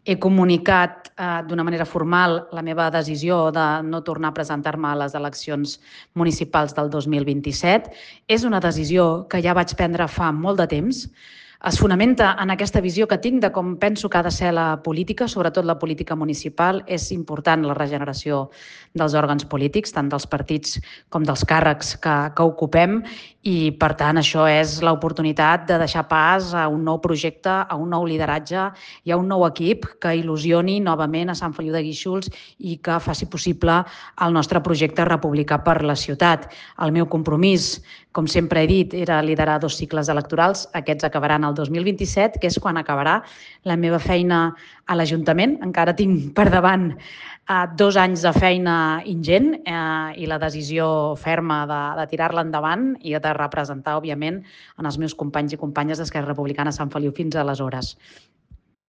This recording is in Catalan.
He comunicat d'una manera formal la meva decisió de no tornar a presentar-me a les eleccions municipals del 2027. És una decisió que ja vaig prendre fa molt de temps. Es fonamenta en aquesta visió que tinc de com penso que ha de ser la política, sobretot la política municipal. És important la regeneració dels òrgans polítics, tant dels partits com dels càrrecs que ocupem, i per tant això és l'oportunitat de deixar pas a un nou projecte, a un nou lideratge i a un nou equip que il·lusioni novament a Sant Feliu de Guíxols i que faci possible el nostre projecte republicà per la ciutat. El meu compromís, com sempre he dit, era liderar 2 cicles electorals. Aquests acabaran el 2027, que és quan acabarà la meva feina a l'Ajuntament. Encara tinc per davant 2 anys de feina ingent i la decisió ferma de tirar-la endavant i de representar, òbviament, en els meus companys i companyes d'Esquerra Republicana a Sant Feliu fins aleshores.